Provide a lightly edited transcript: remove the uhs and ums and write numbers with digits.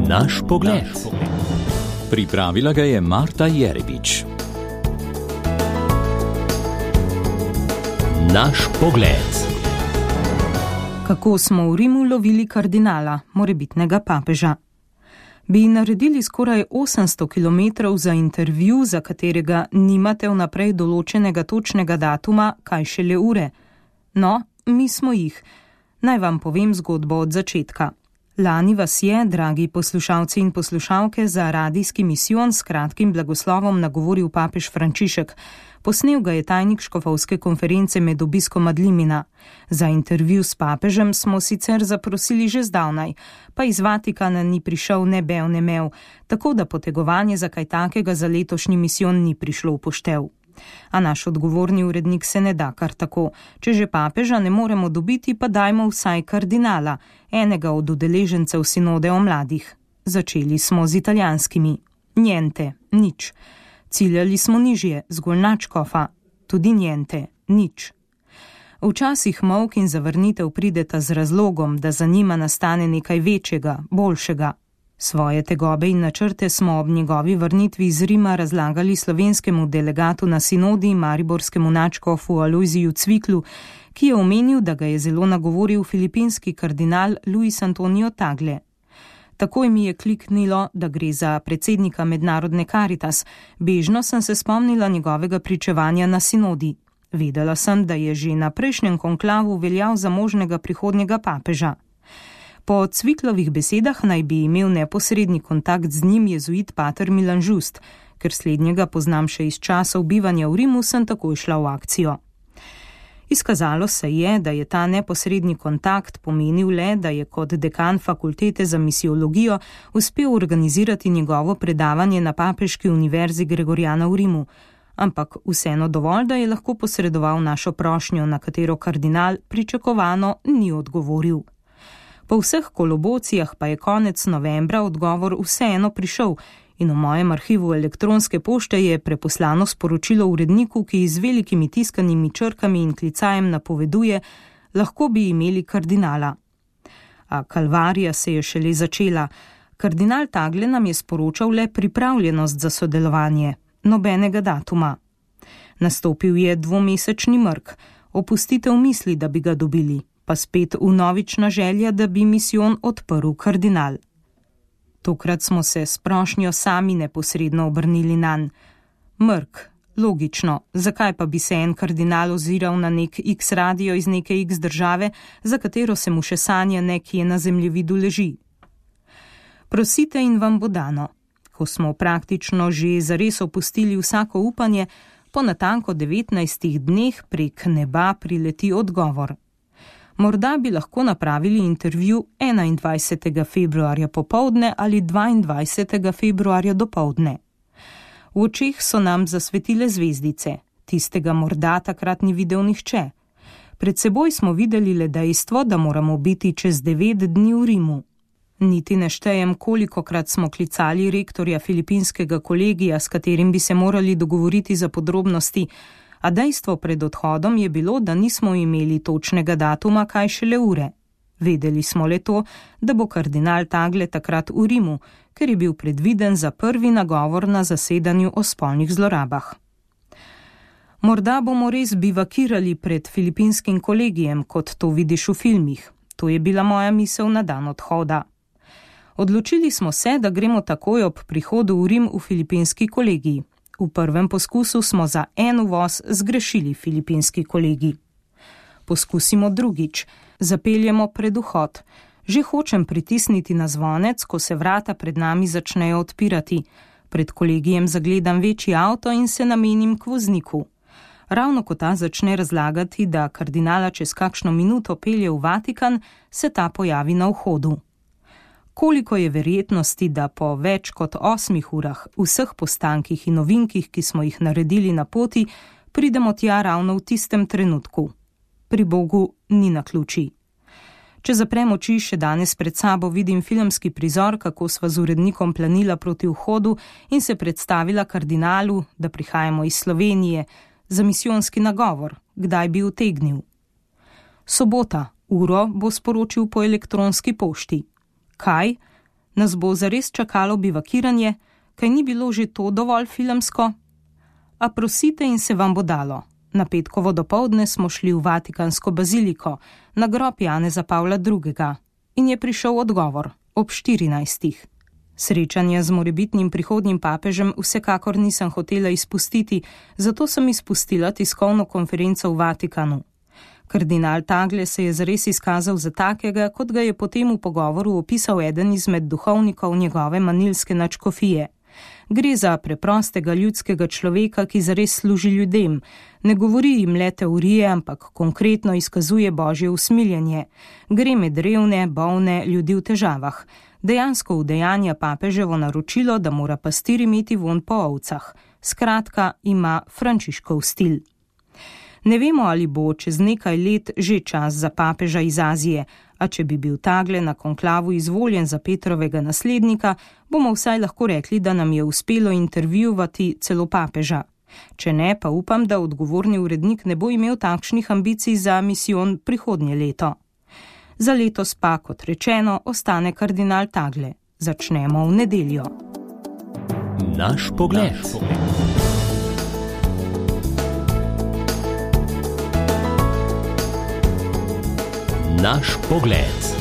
Naš pogled. Pripravila ga je Marta Jerebič. Naš pogled. Kako smo v Rimu lovili kardinala, morebitnega papeža? Bi naredili skoraj 800 km za intervju, za katerega nimate vnaprej določenega točnega datuma, kaj šele ure? No, mi smo jih. Naj vam povem zgodbo od začetka. Lani vas je, dragi poslušalci in poslušalke, za radijski misijon s kratkim blagoslovom nagovoril papež Frančišek. Posnel ga je tajnik škofovske konference med obiskom ad limina. Za intervju s papežem smo sicer zaprosili že zdavnaj, pa iz Vatikana ni prišel ne bev ne mev, tako da potegovanje za kaj takega za letošnji misijon ni prišlo v poštev. A naš odgovorni urednik se ne da kar tako. Če že papeža ne moremo dobiti, pa dajmo vsaj kardinala, enega od udeležencev sinode o mladih. Začeli smo z italijanskimi. Niente, nič. Ciljali smo nižje, zgolj nadškofa. Tudi niente, nič. Včasih molk in zavrnitev prideta z razlogom, da za njima nastane nekaj večjega, boljšega. Svoje tegobe in načrte smo ob njegovi vrnitvi iz Rima razlagali slovenskemu delegatu na sinodi, mariborskemu nadškofu Alojziju Cviklu, ki je omenil, da ga je zelo nagovoril filipinski kardinal Luis Antonio Tagle. Takoj mi je kliknilo, da gre za predsednika mednarodne Caritas. Bežno sem se spomnila njegovega pričevanja na sinodi. Vedela sem, da je že na prejšnjem konklavu veljal za možnega prihodnjega papeža. Po Cviklovih besedah naj bi imel neposredni kontakt z njim jezuit pater Milan Žust. Ker slednjega poznam še iz časov bivanja v Rimu, sem takoj šla v akcijo. Izkazalo se je, da je ta neposredni kontakt pomenil le, da je kot dekan fakultete za misiologijo uspel organizirati njegovo predavanje na Papeški univerzi Gregoriana v Rimu, ampak vseeno dovolj, da je lahko posredoval našo prošnjo, na katero kardinal pričakovano ni odgovoril. Po vseh kolobocijah pa je konec novembra odgovor vseeno prišel in v mojem arhivu elektronske pošte je preposlano sporočilo uredniku, ki z velikimi tiskanimi črkami in klicajem napoveduje, lahko bi imeli kardinala. A kalvarija se je šele začela. Kardinal Tagle nam je sporočal le pripravljenost za sodelovanje, nobenega datuma. Nastopil je dvomesečni mrk, opustitev misli, da bi ga dobili, pa spet vnovična želja, da bi misijon odprl kardinal. Tokrat smo se s prošnjo sami neposredno obrnili nanj. Mrk, logično, zakaj pa bi se en kardinal oziral na nek X radio iz neke X države, za katero se mu še sanja nekje na zemljevidu leži? Prosite in vam bo dano. Ko smo praktično že zares opustili vsako upanje, po natanko 19 dneh prek neba prileti odgovor. Morda bi lahko napravili intervju 21. februarja popoldne ali 22. februarja dopoldne. V očeh so nam zasvetile zvezdice, tistega morda takrat ni videl nihče. Pred seboj smo videli le dejstvo, da moramo biti čez 9 dni v Rimu. Niti ne štejem, kolikokrat smo klicali rektorja filipinskega kolegija, s katerim bi se morali dogovoriti za podrobnosti, a dejstvo pred odhodom je bilo, da nismo imeli točnega datuma, kaj šele ure. Vedeli smo le to, da bo kardinal Tagle takrat v Rimu, ker je bil predviden za prvi nagovor na zasedanju o spolnih zlorabah. Morda bomo res bivakirali pred filipinskim kolegijem, kot to vidiš v filmih. To je bila moja misel na dan odhoda. Odločili smo se, da gremo takoj ob prihodu v Rim v filipinski kolegij. V prvem poskusu smo za en uvoz zgrešili filipinski kolegi. Poskusimo drugič. Zapeljemo pred vhod. Že hočem pritisniti na zvonec, ko se vrata pred nami začnejo odpirati. Pred kolegijem zagledam večji avto in se namenim k vozniku. Ravno ko ta začne razlagati, da kardinala čez kakšno minuto pelje v Vatikan, se ta pojavi na vhodu. Koliko je verjetnosti, da po več kot 8 urah, vseh postankih in novinkih, ki smo jih naredili na poti, pridemo tja ravno v tistem trenutku. Pri Bogu ni naključij. Če zaprem oči, še danes pred sabo vidim filmski prizor, kako sva z urednikom planila proti vhodu in se predstavila kardinalu, da prihajamo iz Slovenije, za misijonski nagovor, kdaj bi utegnil. Sobota, uro bo sporočil po elektronski pošti. Kaj? Nas bo zares čakalo bivakiranje, kaj ni bilo že to dovolj filmsko? A prosite in se vam bo dalo. Na petkovo dopoldne smo šli v Vatikansko baziliko, na grob Janeza Pavla II. In je prišel odgovor ob 14. Srečanje z morebitnim prihodnjim papežem vsekakor nisem hotela izpustiti, zato sem izpustila tiskovno konferenco v Vatikanu. Kardinal Tagle se je zares izkazal za takega, kot ga je potem v pogovoru opisal eden izmed duhovnikov njegove manilske nadškofije. Gre za preprostega ljudskega človeka, ki zares služi ljudem. Ne govori jim le teorije, ampak konkretno izkazuje božje usmiljenje. Gre med revne, bolne, ljudi v težavah. Dejansko udejanja papeževo naročilo, da mora pastir imeti vonj po ovcah. Skratka, ima Frančiškov stil. Ne vemo, ali bo čez nekaj let že čas za papeža iz Azije, a če bi bil Tagle na konklavu izvoljen za Petrovega naslednika, bomo vsaj lahko rekli, da nam je uspelo intervjuvati celo papeža. Če ne, pa upam, da odgovorni urednik ne bo imel takšnih ambicij za misijon prihodnje leto. Za letos pa, kot rečeno, ostane kardinal Tagle. Začnemo v nedeljo. Naš pogled. Naš pogled.